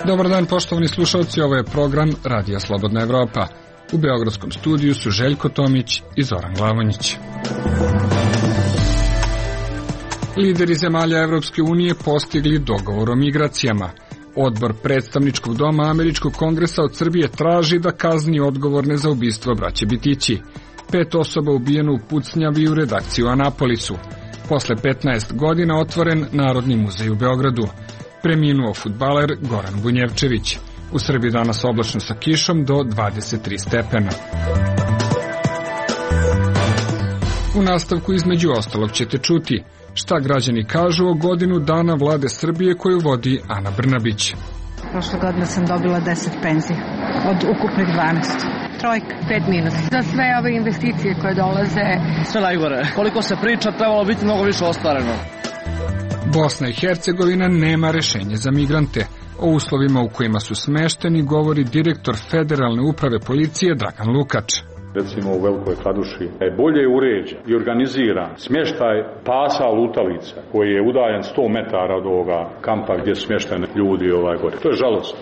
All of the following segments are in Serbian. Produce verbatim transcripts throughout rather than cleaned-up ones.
Dobar dan, poštovani slušalci, ovo je program Radija Slobodna Evropa. U beogradskom studiju su Željko Tomić i Zoran Glavonjić. Lideri zemalja Evropske unije postigli dogovor o migracijama. Odbor predstavničkog doma Američkog kongresa od Srbije traži da kazni odgovorne za ubistvo braće Bitići. Pet osoba ubijeno u pucnjavi u redakciji u Anapolisu. Posle petnaest godina otvoren Narodni muzej u Beogradu. Preminuo fudbaler Goran Bunjevčević. U Srbiji danas oblačno sa kišom do dvadeset tri stepena. U nastavku između ostalog ćete čuti šta građani kažu o godinu dana vlade Srbije koju vodi Ana Brnabić. Prošle godine sam dobila deset penzija od ukupnih dvanaest. Trojka, pet minus. Za sve ove investicije koje dolaze. Sve najgore. Koliko se priča, trebalo biti mnogo više ostvareno. Bosna i Hercegovina nema rešenje za migrante. O uslovima u kojima su smešteni govori direktor Federalne uprave policije Dragan Lukač. Recimo u Velikoj Kladuši je bolje uređen i organiziran smještaj pasa lutalica koji je udaljen sto metara od ovoga kampa gdje su smješteni ljudi ovaj gore. To je žalostno.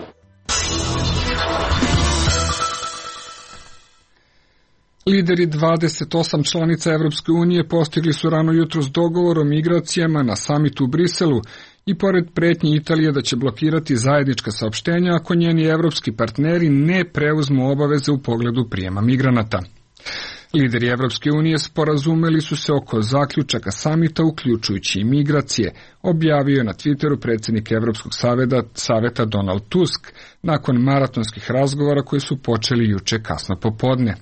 Lideri dvadeset osam članica Evropske unije postigli su rano jutros dogovor o migracijama na samitu u Briselu i pored pretnje Italije da će blokirati zajednička saopštenja ako njeni evropski partneri ne preuzmu obaveze u pogledu prijema migranata. Lideri Evropske unije sporazumeli su se oko zaključaka samita uključujući i migracije, objavio je na Twitteru predsjednik Evropskog saveta, saveta Donald Tusk nakon maratonskih razgovora koji su počeli juče kasno popodne.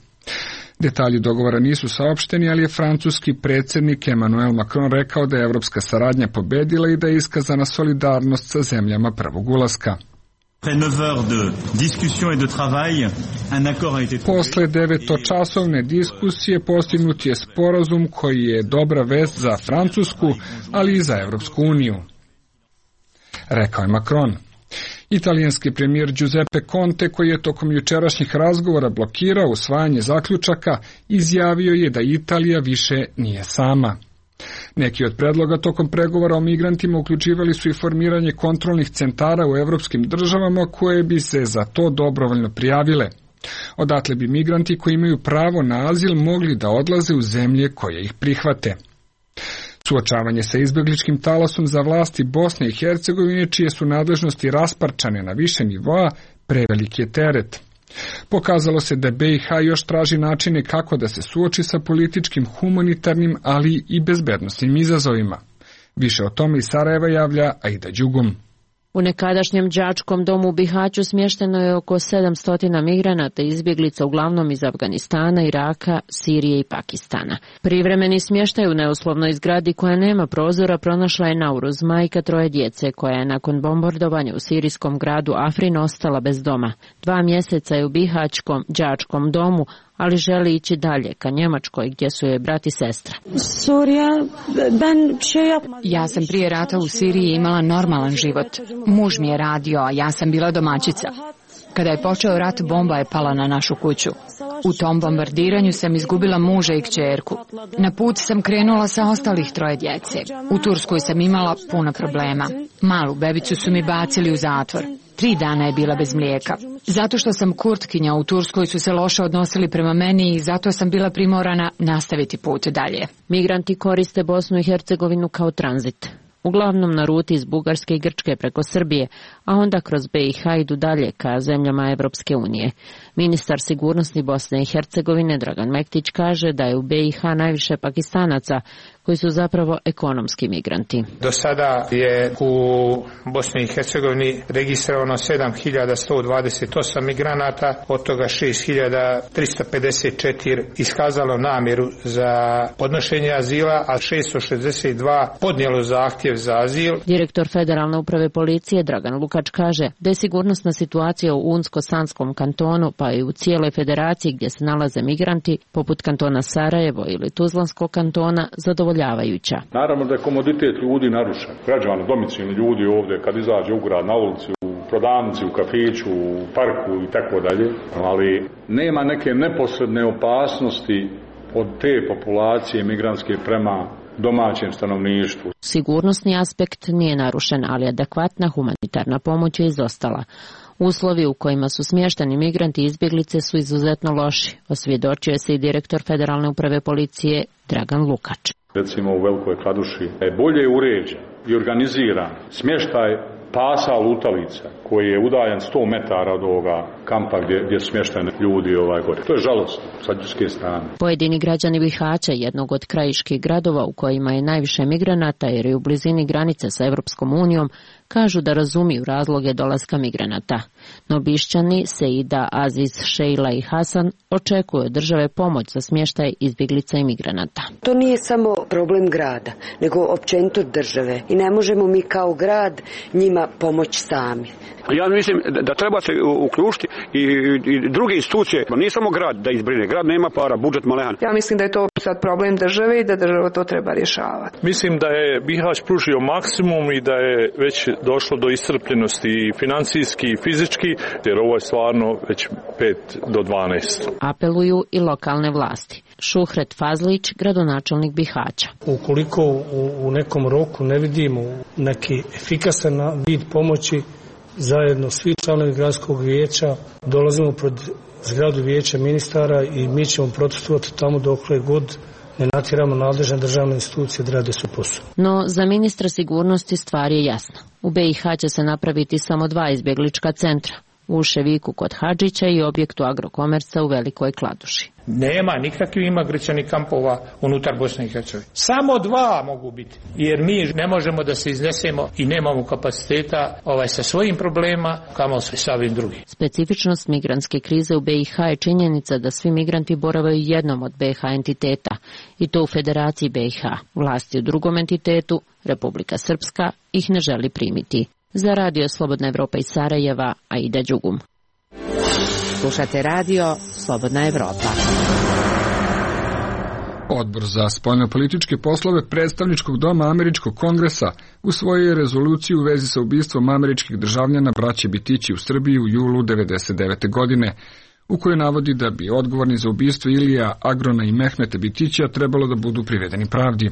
Detalji dogovora nisu saopšteni, ali je francuski predsjednik Emmanuel Macron rekao da je evropska saradnja pobedila i da je iskazana solidarnost sa zemljama prvog ulaska. Posle devetočasovne diskusije postignut je sporazum koji je dobra vest za Francusku, ali i za Evropsku uniju, rekao je Macron. Italijanski premijer Giuseppe Conte, koji je tokom jučerašnjih razgovora blokirao usvajanje zaključaka, izjavio je da Italija više nije sama. Neki od predloga tokom pregovora o migrantima uključivali su i formiranje kontrolnih centara u evropskim državama koje bi se za to dobrovoljno prijavile. Odatle bi migranti koji imaju pravo na azil mogli da odlaze u zemlje koje ih prihvate. Suočavanje sa izbegličkim talasom za vlasti Bosne i Hercegovine, čije su nadležnosti rasparčane na više nivoa, prevelik je teret. Pokazalo se da B i H još traži načine kako da se suoči sa političkim, humanitarnim, ali i bezbednosnim izazovima. Više o tome iz Sarajeva javlja Aida Đugum. U nekadašnjem đačkom domu u Bihaću smješteno je oko sedamsto migranata i izbjeglica, uglavnom iz Afganistana, Iraka, Sirije i Pakistana. Privremeni smještaj u neuslovnoj zgradi koja nema prozora pronašla je Nauruz, majka troje djece, koja je nakon bombardovanja u sirijskom gradu Afrin ostala bez doma. Dva mjeseca je u Bihaćkom đačkom domu, ali želi ići dalje, ka Njemačkoj, gdje su joj brat i sestra. Ja sam prije rata u Siriji imala normalan život. Muž mi je radio, a ja sam bila domaćica. Kada je počeo rat, bomba je pala na našu kuću. U tom bombardiranju sam izgubila muža i kćerku. Na put sam krenula sa ostalih troje djece. U Turskoj sam imala puno problema. Malu bebicu su mi bacili u zatvor. Tri dana je bila bez mlijeka. Zato što sam Kurtkinja, u Turskoj su se loše odnosili prema meni i zato sam bila primorana nastaviti put dalje. Migranti koriste Bosnu i Hercegovinu kao tranzit. Uglavnom na ruti iz Bugarske i Grčke preko Srbije, a onda kroz B i H idu dalje ka zemljama Evropske unije. Ministar sigurnosti Bosne i Hercegovine Dragan Mektić kaže da je u B i H najviše Pakistanaca, koji su zapravo ekonomski migranti. Do sada je u Bosni i Hercegovini registrovano sedam hiljada sto dvadeset osam migranata, od toga šest hiljada tristo pedeset četiri iskazalo namjeru za podnošenje azila, a šesto šezdeset dva podnijelo zahtjev za azil. Direktor Federalne uprave policije Dragan Lukač kaže da je sigurnosna situacija u Unsko-Sanskom kantonu, pa i u cijeloj federaciji gdje se nalaze migranti, poput kantona Sarajevo ili Tuzlanskog kantona, zadovoljavajuća. Naravno da je komoditet ljudi narušen. Građani, domicilni ljudi ovdje, kad izađe u grad na ulici, u prodavnici, u kafiću, u parku i tako dalje, ali nema neke neposredne opasnosti od te populacije migrantske prema domaćem stanovništvu. Sigurnosni aspekt nije narušen, ali adekvatna humanitarna pomoć je izostala. Uslovi u kojima su smješteni migranti i izbjeglice su izuzetno loši, osvjedočio se i direktor Federalne uprave policije Dragan Lukač. Recimo u Velikoj Kladuši je bolje uređen i organiziran smještaj pasa lutalica koji je udaljen sto metara od ovoga kampa gdje, gdje su smješteni ljudi ovaj gore. To je žalostno sa ljudske strane. Pojedini građani Bihaća, jednog od krajiških gradova u kojima je najviše migranata jer je u blizini granice sa Evropskom unijom, kažu da razumiju razloge dolaska migranata. No Bišćani, Seida, Aziz, Šejla i Hasan očekuju od države pomoć za smještaj izbjeglica i migranata. To nije samo problem grada, nego općenito države i ne možemo mi kao grad njima pomoći sami. Ja mislim da treba se uključiti i, i druge institucije, nije samo grad da izbrine, grad nema para, budžet malehan. Ja mislim da je to sad problem države i da država to treba rješavati. Mislim da je Bihać pružio maksimum i da je već došlo do iscrpljenosti i financijski i fizički, jer ovo je stvarno već pet do dvanaest. Apeluju i lokalne vlasti. Šuhret Fazlić, gradonačelnik Bihaća. Ukoliko u, u nekom roku ne vidimo neki efikasan vid pomoći, zajedno svi članovi gradskog vijeća dolazimo pred zgradu vijeća ministara i mi ćemo protestovati tamo dokle god ne natjeramo nadležne državne institucije da rade svoj posao. No, za ministra sigurnosti stvar je jasna. U B i H će se napraviti samo dva izbjeglička centra. U Ševiku kod Hadžića i objektu Agrokomerca u Velikoj Kladuši. Nema nikakvih imigracionih kampova unutar Bosne i Hercegovine. Samo dva mogu biti, jer mi ne možemo da se iznesemo i nemamo kapaciteta ovaj, sa svojim problema, kamo se sa ovim drugim. Specifičnost migrantske krize u B i H je činjenica da svi migranti boravaju jednom od B i H entiteta, i to u Federaciji B i H. Vlasti u drugom entitetu, Republika Srpska, ih ne želi primiti. Za radio Slobodna Evropa iz Sarajeva, Aida Đugum. Slušate radio Slobodna Evropa. Odbor za spoljnopolitičke poslove predstavničkog doma Američkog kongresa usvojio je rezoluciju u vezi sa ubistvom američkih državljana braće Bitići u Srbiji u julu devedeset devete. godine, u kojoj navodi da bi odgovorni za ubistvo Ilija Agrona i Mehmeta Bitića trebalo da budu privedeni pravdi.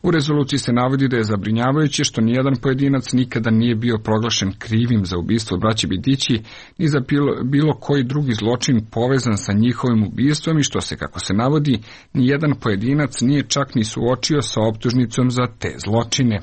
U rezoluciji se navodi da je zabrinjavajuće što nijedan pojedinac nikada nije bio proglašen krivim za ubistvo braće Bitići ni za bilo, bilo koji drugi zločin povezan sa njihovim ubistvom i što se, kako se navodi, nijedan pojedinac nije čak ni suočio sa optužnicom za te zločine.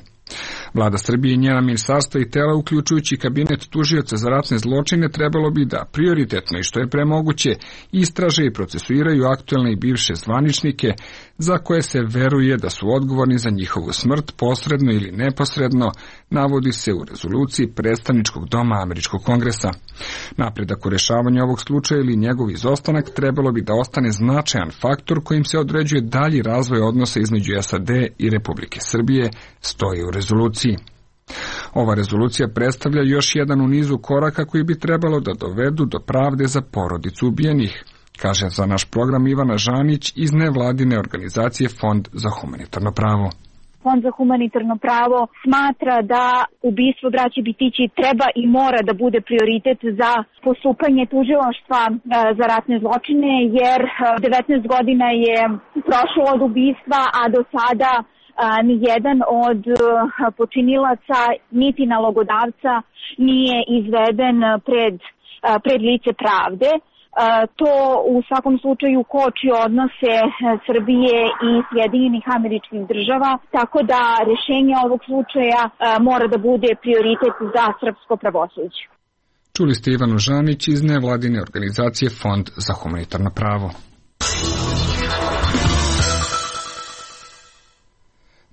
Vlada Srbije i njena ministarstva i tela, uključujući kabinet tužioca za ratne zločine, trebalo bi da prioritetno i što je premoguće istraže i procesuiraju aktuelne i bivše zvaničnike za koje se veruje da su odgovorni za njihovu smrt posredno ili neposredno, navodi se u rezoluciji predstavničkog doma Američkog kongresa. Napredak u rešavanju ovog slučaja ili njegov izostanak trebalo bi da ostane značajan faktor kojim se određuje dalji razvoj odnosa između S A D i Republike Srbije, stoji u rezoluciji. Ova rezolucija predstavlja još jedan u nizu koraka koji bi trebalo da dovedu do pravde za porodicu ubijenih, kaže za naš program Ivana Žanić iz nevladine organizacije Fond za humanitarno pravo. Fond za humanitarno pravo smatra da ubistvo braće Bitići treba i mora da bude prioritet za postupanje tužilaštva za ratne zločine, jer devetnaest godina je prošlo od ubistva, a do sada ni jedan od počinilaca niti nalogodavca nije izveden pred, pred lice pravde. To u svakom slučaju koči odnose Srbije i Sjedinjenih Američkih Država, tako da rješenje ovog slučaja mora da bude prioritet za srpsko pravosuđe. Čuli ste Ivanu Žanić iz nevladine organizacije Fond za humanitarno pravo.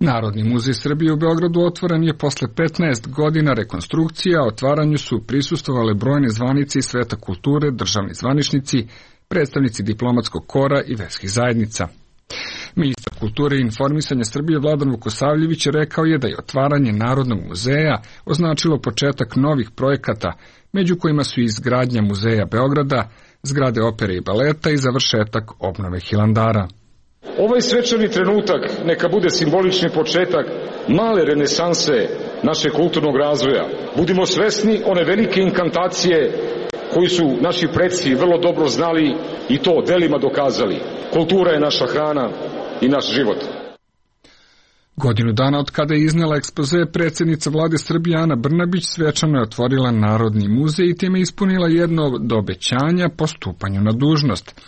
Narodni muzej Srbije u Beogradu otvoren je posle petnaest godina rekonstrukcija, a otvaranju su prisustvovale brojne zvanice iz sveta kulture, državni zvaničnici, predstavnici diplomatskog kora i verskih zajednica. Ministar kulture i informisanja Srbije Vladan Vukosavljević rekao je da je otvaranje Narodnog muzeja označilo početak novih projekata, među kojima su izgradnja muzeja Beograda, zgrade opere i baleta i završetak obnove Hilandara. Ovaj svečani trenutak neka bude simbolični početak male renesanse našeg kulturnog razvoja, Budimo svesni one velike inkantacije koju su naši preci vrlo dobro znali i to delima dokazali. Kultura je naša hrana i naš život. Godinu dana od kada je iznela ekspoze, predsjednica vlade Srbije Ana Brnabić svečano je otvorila Narodni muzej i time ispunila jedno od obećanja po stupanju na dužnost.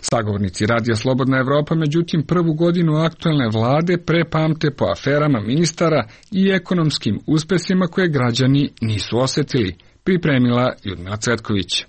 Sagovornici Radija Slobodna Evropa, međutim, prvu godinu aktuelne vlade prepamte po aferama ministara i ekonomskim uspesima koje građani nisu osetili, pripremila Ljudmila Cvetković.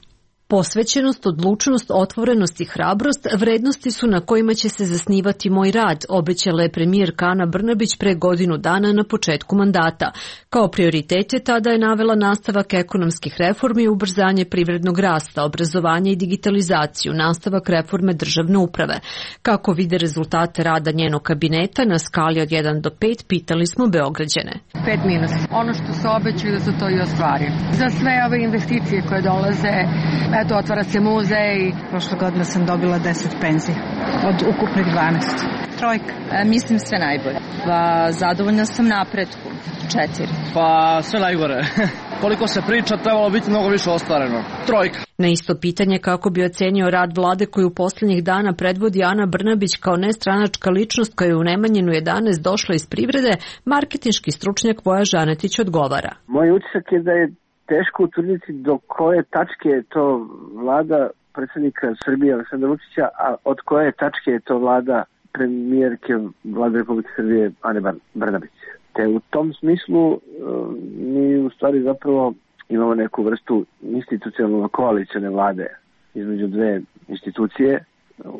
Posvećenost, odlučnost, otvorenost i hrabrost vrednosti su na kojima će se zasnivati moj rad, obećala je premijerka Ana Brnabić pre godinu dana na početku mandata. Kao prioritete tada je navela nastavak ekonomskih reformi, ubrzanje privrednog rasta, obrazovanje i digitalizaciju, nastavak reforme državne uprave. Kako vide rezultate rada njenog kabineta na skali od jedan do pet, pitali smo Beograđane. Pet minus. Ono što se obećaju da se to i ostvari. Za sve ove investicije koje dolaze, eto, otvara se muzej. Prošle godine sam dobila deset penzija od ukupnih dvanaest. Trojka. E, mislim sve najbolje. Pa, zadovoljna sam napretku. Četiri. Pa sve najgore. Koliko se priča, trebalo biti mnogo više ostvareno. Trojka. Na isto pitanje kako bi ocenio rad vlade koju poslednjih dana predvodi Ana Brnabić kao nestranačka ličnost koja je u Nemanjinu jedanaest došla iz privrede, marketinški stručnjak Voja Žanetić odgovara. Moj utisak je da je teško utvrditi do koje tačke je to vlada predsjednika Srbije Aleksandra Vučića, a od koje tačke je to vlada premijerke vlade Republike Srbije Ane Brnabić. Te u tom smislu mi u stvari zapravo imamo neku vrstu institucionalno koalicione vlade između dve institucije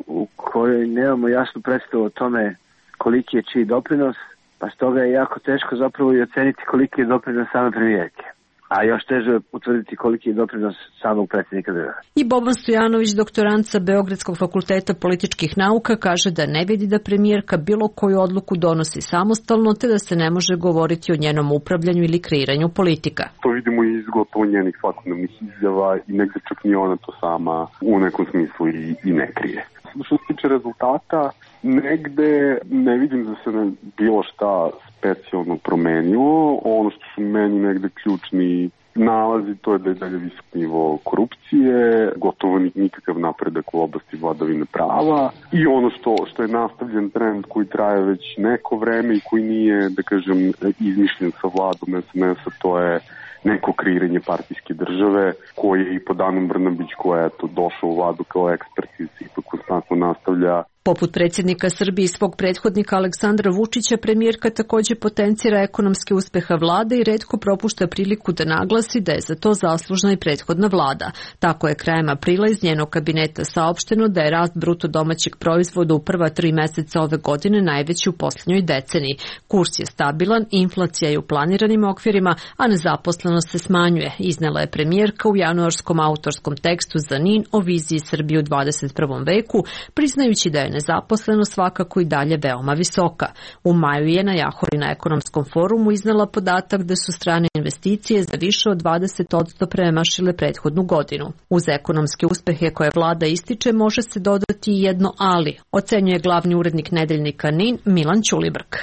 u kojoj nemamo jasnu predstavu o tome koliki je čiji doprinos, pa stoga je jako teško zapravo i oceniti koliki je doprinos same premijerke. A još teže utvrditi koliki je doprinos samog predsjednika države. I Boban Stojanović, doktorant sa Beogradskog fakulteta političkih nauka, kaže da ne vidi da premijerka bilo koju odluku donosi samostalno, te da se ne može govoriti o njenom upravljanju ili kreiranju politika. To vidimo i iz gotovo njenih svakodnevnih izjava i negde čak ni ona to sama u nekom smislu i, i ne krije. Što se tiče rezultata, negde ne vidim da se ne bilo šta specijalno promenilo. Ono što su meni negde ključni nalazi, to je da je dalje visok nivo korupcije, gotovo nikakav napredak u oblasti vladavine prava i ono što, što je nastavljen trend koji traje već neko vreme i koji nije, da kažem, izmišljen sa vladom es en es-a, to je neko kreiranje partijske države koje je i po Anu Brnabić koja je to došao u vladu kao ekspert i se ipak konstantno nastavlja. Poput predsjednika Srbije i svog prethodnika Aleksandra Vučića, premijerka također potencira ekonomske uspeha vlade i retko propušta priliku da naglasi da je za to zaslužna i prethodna vlada. Tako je krajem aprila iz njenog kabineta saopšteno da je rast bruto domaćeg proizvoda u prva tri meseca ove godine najveći u posljednjoj deceniji. Kurs je stabilan, inflacija je u planiranim okvirima, a nezaposlenost se smanjuje, iznela je premijerka u januarskom autorskom tekstu za N I N o viziji Srbije u dvadeset prvom veku, priznajući da je nezaposlenost svakako i dalje veoma visoka. U maju je na Jahori na ekonomskom forumu iznala podatak da su strane investicije za više od dvadeset posto premašile prethodnu godinu. Uz ekonomske uspehe koje vlada ističe može se dodati i jedno ali, ocenjuje glavni urednik nedeljnika N I N Milan Ćulibrk.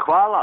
Hvala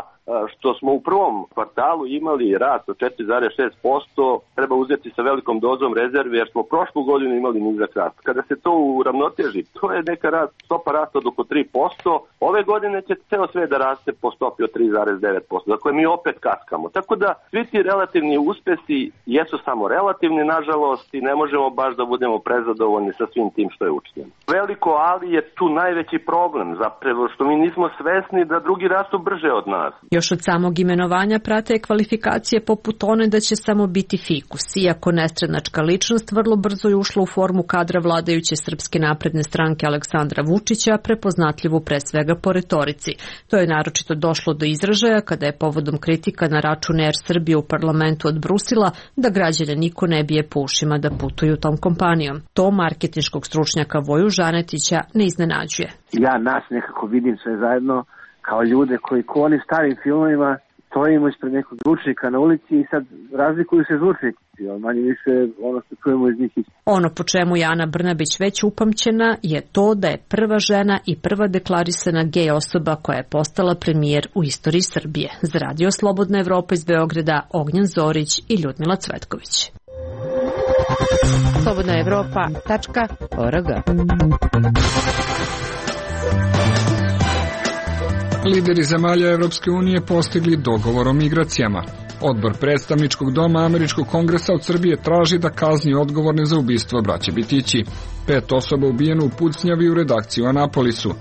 što smo u prvom kvartalu imali rast od četiri zarez šest posto, treba uzeti sa velikom dozom rezerve jer smo prošlu godinu imali nizak rast. Kada se to uravnoteži, to je neka rast, stopa rasta od oko tri posto. Ove godine će ceo sve da raste po stopi od tri zarez devet posto. Dakle, mi opet kaskamo. Tako da svi ti relativni uspesi jesu samo relativni, nažalost, i ne možemo baš da budemo prezadovoljni sa svim tim što je učinjeno. Veliko ali je tu najveći problem, zapravo što mi nismo svesni da drugi rastu brže od nas. Još od samog imenovanja prate kvalifikacije poput one da će samo biti fikus. Iako nestranačka ličnost vrlo brzo je ušla u formu kadra vladajuće Srpske napredne stranke Aleksandra Vučića, prepoznatljivu pre svega po retorici. To je naročito došlo do izražaja kada je povodom kritika na račun Er Srbije u parlamentu odbrusila da građane niko ne bije po ušima da putuju tom kompanijom. To marketinškog stručnjaka Voju Žanetića ne iznenađuje. Ja nas nekako vidim sve zajedno kao ljude koji ko onim starim filmovima stojimo ispred nekog zvučnika na ulici i sad razlikuju se zvučnici, manje više ono što čujemo iz njih. Ono po čemu je Ana Brnabić već upamćena je to da je prva žena i prva deklarisana gej osoba koja je postala premijer u istoriji Srbije. Za Radio Slobodna Evropa iz Beograda, Ognjen Zorić i Ljudmila Cvetković. slobodna evropa tačka org. Lideri zemalja Evropske unije postigli dogovor o migracijama. Odbor predstavničkog doma Američkog kongresa od Srbije traži da kazni odgovorne za ubistvo braće Bitići. Pet osoba ubijeno u pucnjavi u redakciji u Anapolisu.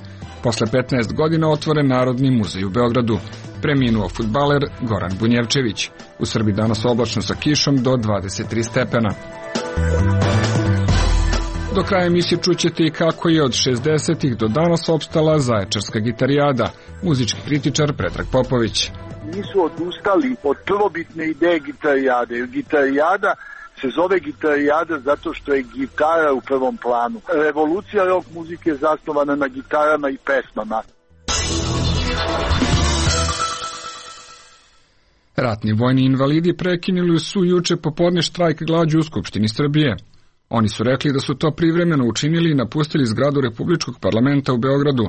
Posle petnaest godina otvoren Narodni muzej u Beogradu. Preminuo fudbaler Goran Bunjevčević. U Srbiji danas oblačno sa kišom do dvadeset tri stepena. Do kraja emisije čućete i kako je od šezdesetih do danas opstala Zaječarska gitarijada. Muzički kritičar Predrag Popović. Nisu odustali od prvobitne ideje gitarijade. Gitarijada se zove gitarijada zato što je gitara u prvom planu. Revolucija rock muzike je zasnovana na gitarama i pesmama. Ratni vojni invalidi prekinuli su juče popodne štrajk glađu u Skupštini Srbije. Oni su rekli da su to privremeno učinili i napustili zgradu Republičkog parlamenta u Beogradu.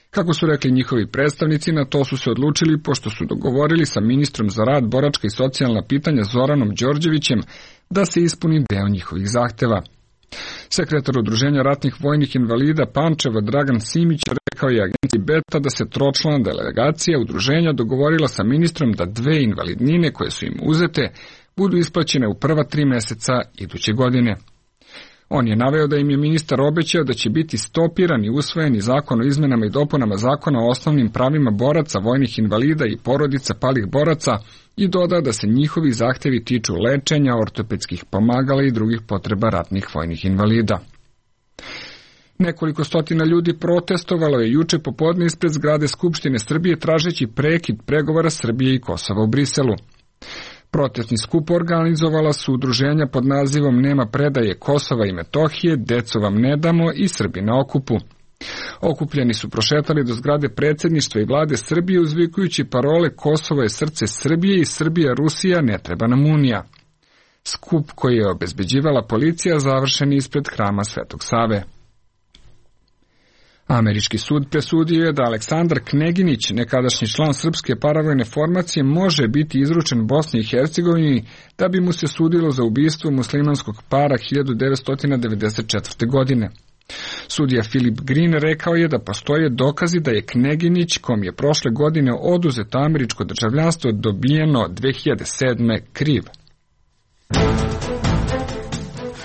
Kako su rekli njihovi predstavnici, na to su se odlučili pošto su dogovorili sa ministrom za rad, boračka i socijalna pitanja Zoranom Đorđevićem da se ispuni deo njihovih zahteva. Sekretar Udruženja ratnih vojnih invalida Pančeva Dragan Simić rekao je agenciji Beta da se tročlana delegacija udruženja dogovorila sa ministrom da dve invalidnine koje su im uzete budu isplaćene u prva tri meseca iduće godine. On je naveo da im je ministar obećao da će biti stopiran i usvojeni zakon o izmenama i dopunama zakona o osnovnim pravima boraca, vojnih invalida i porodica palih boraca i dodao da se njihovi zahtevi tiču lečenja, ortopedskih pomagala i drugih potreba ratnih vojnih invalida. Nekoliko stotina ljudi protestovalo je juče popodne ispred zgrade Skupštine Srbije tražeći prekid pregovora Srbije i Kosova u Briselu. Protestni skup organizovala su udruženja pod nazivom Nema predaje Kosova i Metohije, Deco vam ne damo i Srbi na okupu. Okupljeni su prošetali do zgrade predsjedništva i vlade Srbije uzvikujući parole Kosovo je srce Srbije i Srbija Rusija ne treba nam unija. Skup koji je obezbeđivala policija završen je ispred hrama Svetog Save. Američki sud presudio je da Aleksandar Kneginić, nekadašnji član srpske paravojne formacije, može biti izručen Bosni i Hercegovini da bi mu se sudilo za ubistvo muslimanskog para hiljadu devetsto devedeset četvrte. godine. Sudija Filip Green rekao je da postoje dokazi da je Kneginić, kom je prošle godine oduzeto američko državljanstvo dobijeno dve hiljade sedme. kriv.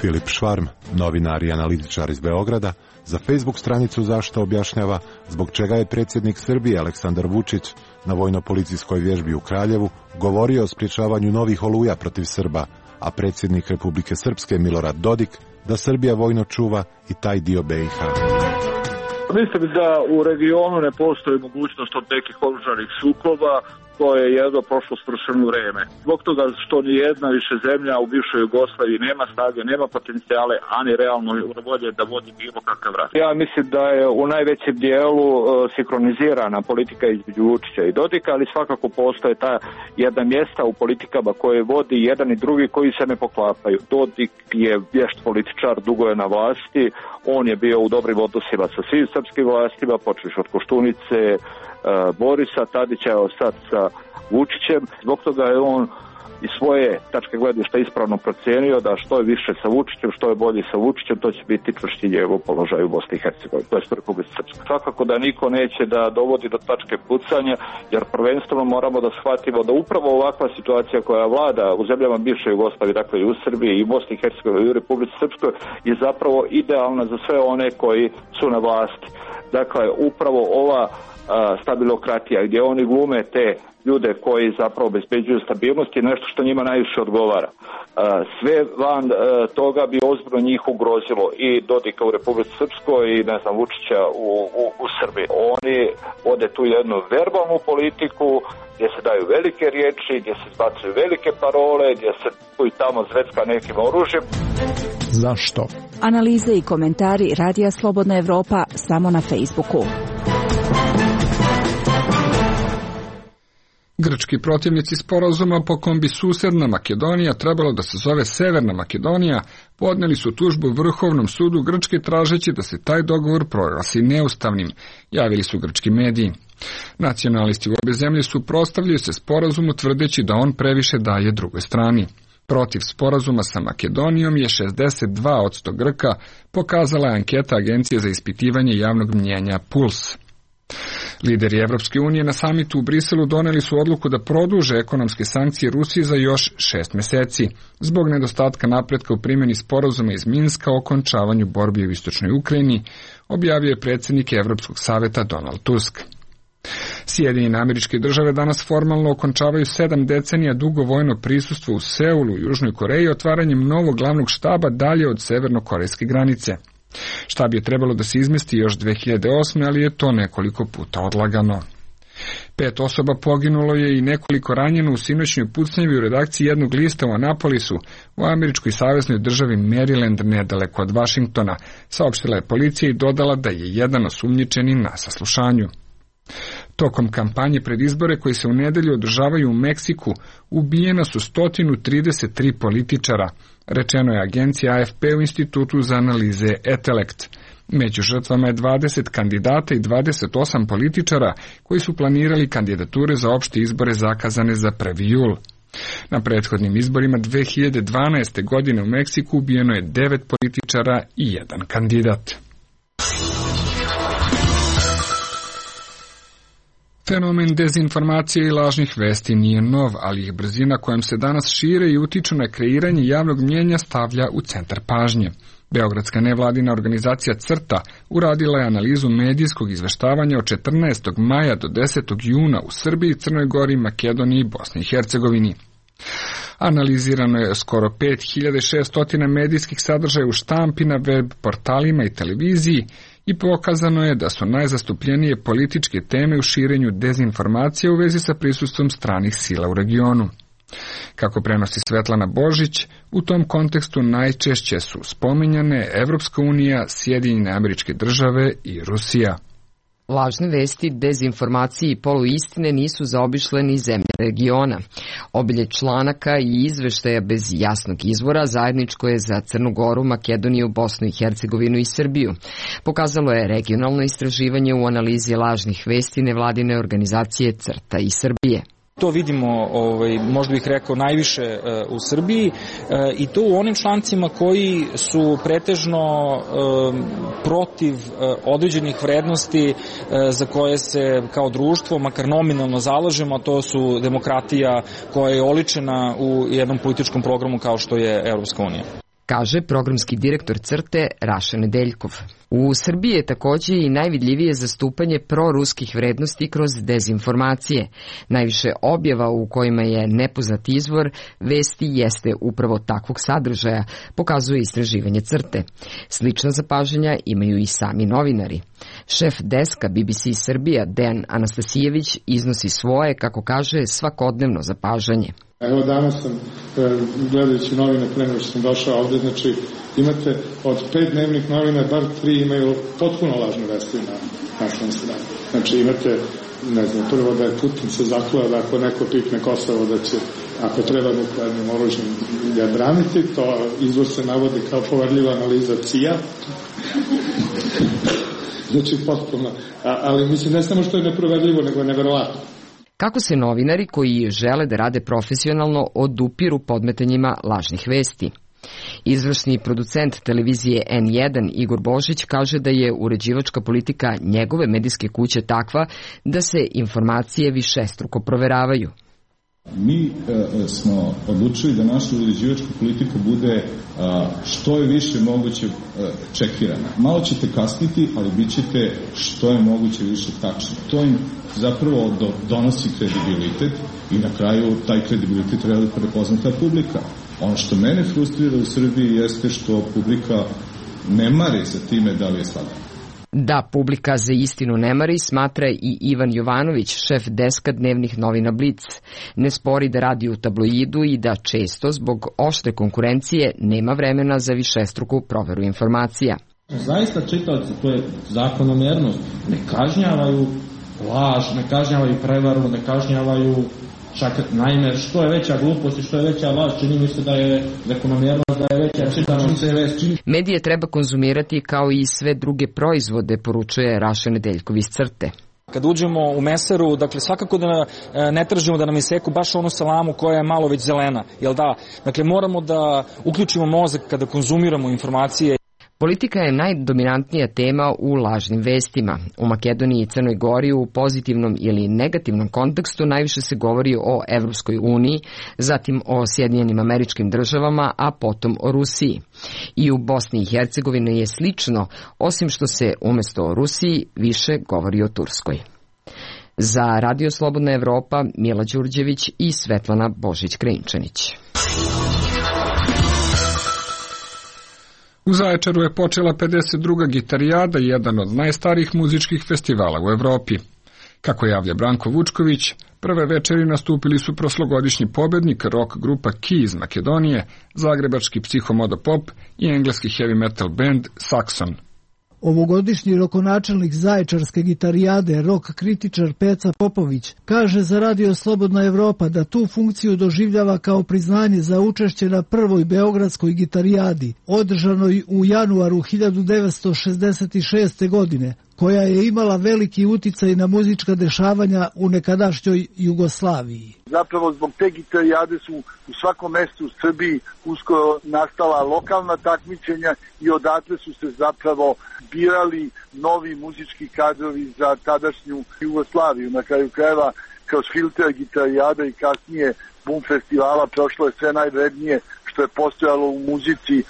Filip Švarm, novinar i analitičar iz Beograda, za Facebook stranicu Zašto objašnjava zbog čega je predsjednik Srbije Aleksandar Vučić na vojno-policijskoj vježbi u Kraljevu govorio o sprječavanju novih oluja protiv Srba, a predsjednik Republike Srpske Milorad Dodik da Srbija vojno čuva i taj dio be i ha. Mislim da u regionu ne postoji mogućnost od nekih oružanih sukoba, to je jedno prošlo svršeno vreme. Zbog toga što ni jedna više zemlja u bivšoj Jugoslaviji nema snage, nema potencijale, ani realno volje da vodi bilo kakav rat. Ja mislim da je u najvećem dijelu uh, sinkronizirana politika između Vučića i Dodika, ali svakako postoje ta jedna mjesta u politikama koje vodi jedan i drugi koji se ne poklapaju. Dodik je vješt političar, dugo je na vlasti, on je bio u dobrim odnosima sa svim srpskim vlastima, počeš od Koštunice, Borisa Tadića, evo sad sa Vučićem. Zbog toga je on iz svoje tačke gledišta ispravno procijenio da što je više sa Vučićem, što je bolje sa Vučićem, to će biti čvršći njegov položaj u Bosni i Hercegovini, to je u Republici Srpskoj. Svakako da niko neće da dovodi do tačke pucanja, jer prvenstveno moramo da shvatimo da upravo ovakva situacija koja vlada u zemljama bivše Jugoslavije, dakle i u Srbiji i u Bosni i Hercegovini i u Republici Srpskoj, je zapravo idealna za sve one koji su na vlasti. Dakle, upravo ova stabilokratija, gdje oni glume te ljude koji zapravo obezbeđuju stabilnost je nešto što njima najviše odgovara. Sve van toga bi ozbiljno njih ugrozilo i Dodika u Republici Srpskoj i ne znam Vučića u, u, u Srbiji. Oni vode tu jednu verbalnu politiku gdje se daju velike riječi, gdje se zbacuju velike parole, gdje se tu i tamo zvecka nekim oružjem. Zašto? Analize i komentari Radija Slobodna Evropa samo na Facebooku. Grčki protivnici sporazuma po kom bi susedna Makedonija trebalo da se zove Severna Makedonija podneli su tužbu Vrhovnom sudu Grčke tražeći da se taj dogovor proglasi neustavnim, javili su grčki mediji. Nacionalisti u obe zemlje suprotstavljaju se sporazumu tvrdeći da on previše daje drugoj strani. Protiv sporazuma sa Makedonijom je šezdeset dva posto Grka, pokazala je anketa Agencije za ispitivanje javnog mnjenja Puls. Lideri Evropske unije na samitu u Briselu doneli su odluku da produže ekonomske sankcije Rusiji za još šest meseci, zbog nedostatka napretka u primjeni sporazuma iz Minska o okončavanju borbi u istočnoj Ukrajini, objavio je predsjednik Evropskog saveta Donald Tusk. Sjedinjene Američke Države danas formalno okončavaju sedam decenija dugo vojno prisustvo u Seulu u Južnoj Koreji otvaranjem novog glavnog štaba dalje od severno-korejske granice. Štab je trebalo da se izmesti još dve hiljade osme, ali je to nekoliko puta odlagano. Pet osoba poginulo je i nekoliko ranjeno u sinoćnoj pucnjavi u redakciji jednog lista u Anapolisu, u američkoj saveznoj državi Maryland nedaleko od Vašingtona, saopštila je policija i dodala da je jedan osumnjičeni na saslušanju. Tokom kampanje pred izbore koji se u nedelju održavaju u Meksiku, ubijena su sto trideset tri političara, rečeno je agencija A F P u Institutu za analize Etelekt. Među žrtvama je dvadeset kandidata i dvadeset osam političara koji su planirali kandidature za opšte izbore zakazane za prvi jul. Na prethodnim izborima dve hiljade dvanaeste. godine u Meksiku ubijeno je devet političara i jedan kandidat. Fenomen dezinformacije i lažnih vesti nije nov, ali ih brzina kojom se danas šire i utiču na kreiranje javnog mnjenja stavlja u centar pažnje. Beogradska nevladina organizacija CRTA uradila je analizu medijskog izveštavanja od četrnaestog maja do desetog juna u Srbiji, Crnoj Gori, Makedoniji i Bosni i Hercegovini. Analizirano je skoro pet hiljada šesto medijskih sadržaja u štampi, na web portalima i televiziji i pokazano je da su najzastupljenije političke teme u širenju dezinformacije u vezi sa prisustvom stranih sila u regionu. Kako prenosi Svetlana Božić, u tom kontekstu najčešće su spominjane Evropska unija, Sjedinjene Američke Države i Rusija. Lažne vesti, dezinformacije i poluistine nisu zaobišle ni zemlje regiona. Obilje članaka i izveštaja bez jasnog izvora zajedničko je za Crnu Goru, Makedoniju, Bosnu i Hercegovinu i Srbiju. Pokazalo je regionalno istraživanje u analizi lažnih vesti nevladine organizacije CRTA i Srbije. To vidimo, ovaj, možda bih rekao, najviše e, u Srbiji e, i to u onim člancima koji su pretežno e, protiv e, određenih vrednosti e, za koje se kao društvo, makar nominalno zalažemo, a to su demokratija koja je oličena u jednom političkom programu kao što je Evropska unija. Kaže programski direktor CRTE Raša Nedeljkov. U Srbiji je takođe i najvidljivije zastupanje proruskih vrednosti kroz dezinformacije. Najviše objava u kojima je nepoznat izvor vesti jeste upravo takvog sadržaja, pokazuje istraživanje CRTE. Slična zapažanja imaju i sami novinari. Šef deska B B C Srbija Dejan Anastasijević iznosi svoje, kako kaže, svakodnevno zapažanje. Evo danas sam, gledajući novine pre nego što sam došao ovde, znači imate od pet dnevnih novina, bar tri imaju potpuno lažne vesti na našoj strani. Znači imate, ne znam, prvo da je Putin se zakleo da ako neko pipne Kosovo da će, ako treba nuklearnim oružjem ga braniti, to izvor se navodi kao poverljiva analiza C I A. Znači potpuno, A, ali mislim ne samo što je neproverljivo, nego je neverovatno. Kako se novinari koji žele da rade profesionalno odupiru podmetanjima lažnih vesti? Izvršni producent televizije N jedan Igor Božić kaže da je uređivačka politika njegove medijske kuće takva da se informacije višestruko proveravaju. Mi e, smo odlučili da naša uređivačka politika bude a, što je više moguće a, čekirana. Malo ćete kasniti, ali bit ćete što je moguće više tačno. To im zapravo do, donosi kredibilitet i na kraju taj kredibilitet treba da prepozna ta publika. Ono što mene frustrira u Srbiji jeste što publika ne mari za time da li je slagano. Da publika za istinu ne mari, smatra i Ivan Jovanović, šef deska dnevnih novina Blic. Ne spori da radi u tabloidu i da često, zbog oštre konkurencije, nema vremena za višestruku proveru informacija. Zaista čitaoci, to je zakonomernost, ne kažnjavaju laž, ne kažnjavaju prevaru, ne kažnjavaju Čak, naime, što je veća glupost i što je veća laž, čini mi se da je zakonomjernost, da je veća čitanost. Medije treba konzumirati kao i sve druge proizvode, poručuje Raša Nedeljkov iz Crte. Kad uđemo u meseru, dakle svakako da ne tražimo da nam iseku baš onu salamu koja je malo već zelena, jel da? Dakle moramo da uključimo mozak kada konzumiramo informacije. Politika je najdominantnija tema u lažnim vestima. U Makedoniji i Crnoj Gori u pozitivnom ili negativnom kontekstu najviše se govori o Evropskoj uniji, zatim o Sjedinjenim Američkim Državama, a potom o Rusiji. I u Bosni i Hercegovini je slično, osim što se umesto o Rusiji više govori o Turskoj. Za Radio Slobodna Evropa, Mila Đurđević i Svetlana Božić-Krinčanić. U Zaječaru je počela pedeset druga Gitarijada, jedan od najstarijih muzičkih festivala u Evropi. Kako javlja Branko Vučković, prve večeri nastupili su prošlogodišnji pobednik rock grupa Key iz Makedonije, zagrebački psihomodo pop i engleski heavy metal band Saxon. Ovogodišnji rokonačelnik Zaječarske Gitarijade, rock kritičar Peca Popović, kaže za Radio Slobodna Evropa da tu funkciju doživljava kao priznanje za učešće na prvoj Beogradskoj Gitarijadi, održanoj u januaru hiljadu devetsto šezdeset šeste. godine, koja je imala veliki uticaj na muzička dešavanja u nekadašnjoj Jugoslaviji. Zapravo zbog te Gitarijade su u svakom mestu u Srbiji uskoro nastala lokalna takmičenja i odatle su se zapravo birali novi muzički kadrovi za tadašnju Jugoslaviju. Na kraju krajeva kroz filter Gitarijada i kasnije Bum festivala prošlo je sve najvrednije što je postojalo u muzici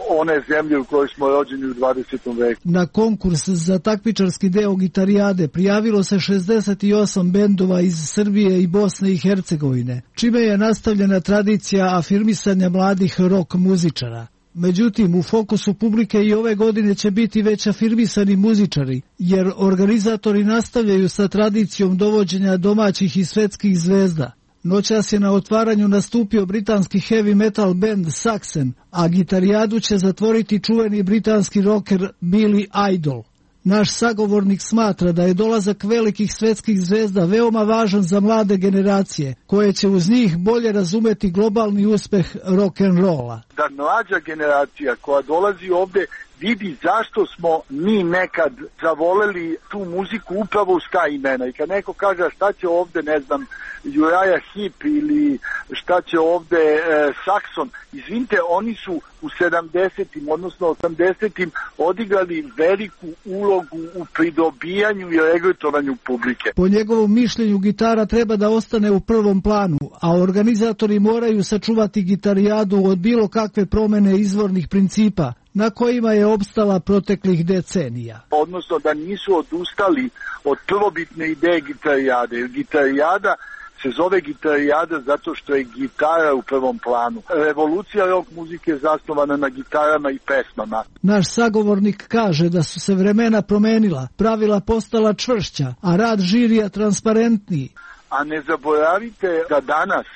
one zemlje u kojoj smo rođeni u dvadesetom veku. Na konkurs za takmičarski deo Gitarijade prijavilo se šezdeset osam bendova iz Srbije i Bosne i Hercegovine, čime je nastavljena tradicija afirmisanja mladih rock muzičara. Međutim, u fokusu publike i ove godine će biti već afirmisani muzičari, jer organizatori nastavljaju sa tradicijom dovođenja domaćih i svetskih zvezda. Noćas je na otvaranju nastupio britanski heavy metal band Saxon, a Gitarijadu će zatvoriti čuveni britanski rocker Billy Idol. Naš sagovornik smatra da je dolazak velikih svetskih zvezda veoma važan za mlade generacije, koje će uz njih bolje razumeti globalni uspeh rock'n'rolla. Da mlađa generacija koja dolazi ovde vidi zašto smo mi nekad zavoleli tu muziku upravo uz ta imena. I kad neko kaže šta će ovde, ne znam, Uriah Heep ili šta će ovde e, Saxon, izvinite, oni su u sedamdesetim, odnosno osamdesetim odigrali veliku ulogu u pridobijanju i regrutovanju publike. Po njegovom mišljenju gitara treba da ostane u prvom planu, a organizatori moraju sačuvati Gitarijadu od bilo kakve promene izvornih principa na kojima je opstala proteklih decenija. Odnosno da nisu odustali od prvobitne ideje Gitarijade, jer Gitarijada se zove Gitarijada zato što je gitara u prvom planu. Revolucija rock muzike je zasnovana na gitarama i pesmama. Naš sagovornik kaže da su se vremena promenila, pravila postala čvršća, a rad žirija transparentniji. A ne zaboravite da danas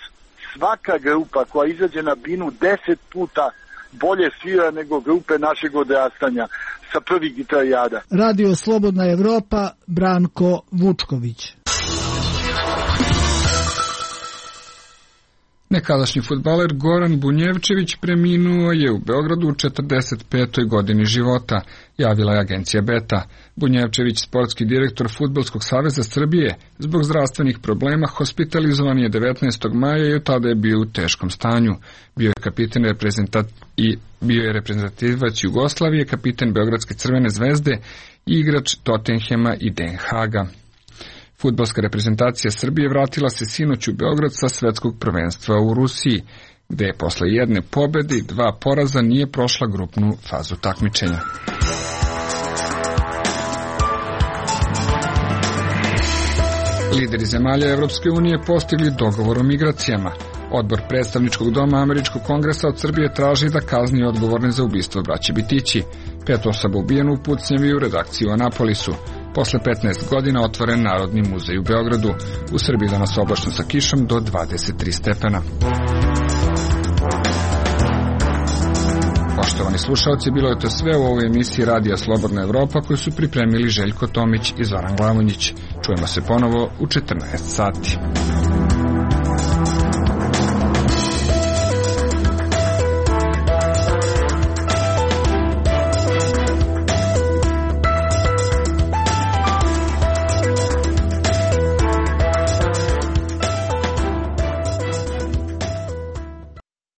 svaka grupa koja izađe na binu deset puta bolje svira nego grupe našeg odrastanja sa prvih Gitarijada. Radio Slobodna Evropa, Branko Vučković. Nekadašnji fudbaler Goran Bunjevčević preminuo je u Beogradu u četrdeset petoj godini života, javila je agencija Beta. Bunjevčević, sportski direktor Fudbalskog saveza Srbije, zbog zdravstvenih problema hospitalizovan je devetnaestog maja i od tada je bio u teškom stanju. Bio je kapiten reprezentat i bio je reprezentativac Jugoslavije, kapiten Beogradske Crvene zvezde i igrač Tottenhema i Den Haaga. Fudbalska reprezentacija Srbije vratila se sinoć u Beograd sa svetskog prvenstva u Rusiji, gde je posle jedne pobede i dva poraza nije prošla grupnu fazu takmičenja. Lideri zemalja Evropske unije postigli dogovor o migracijama. Odbor predstavničkog doma Američkog kongresa od Srbije traži da kazni odgovorne za ubistvo braće Bitići. Pet osoba ubijeno u pucnjavi u redakciji u Anapolisu. Posle petnaest godina otvoren Narodni muzej u Beogradu. U Srbiji danas oblačno sa kišom do dvadeset tri stepena. Poštovani slušalci, bilo je to sve u ovoj emisiji Radija Slobodna Evropa koju su pripremili Željko Tomić i Zoran Glavonjić. Čujemo se ponovo u četrnaest sati.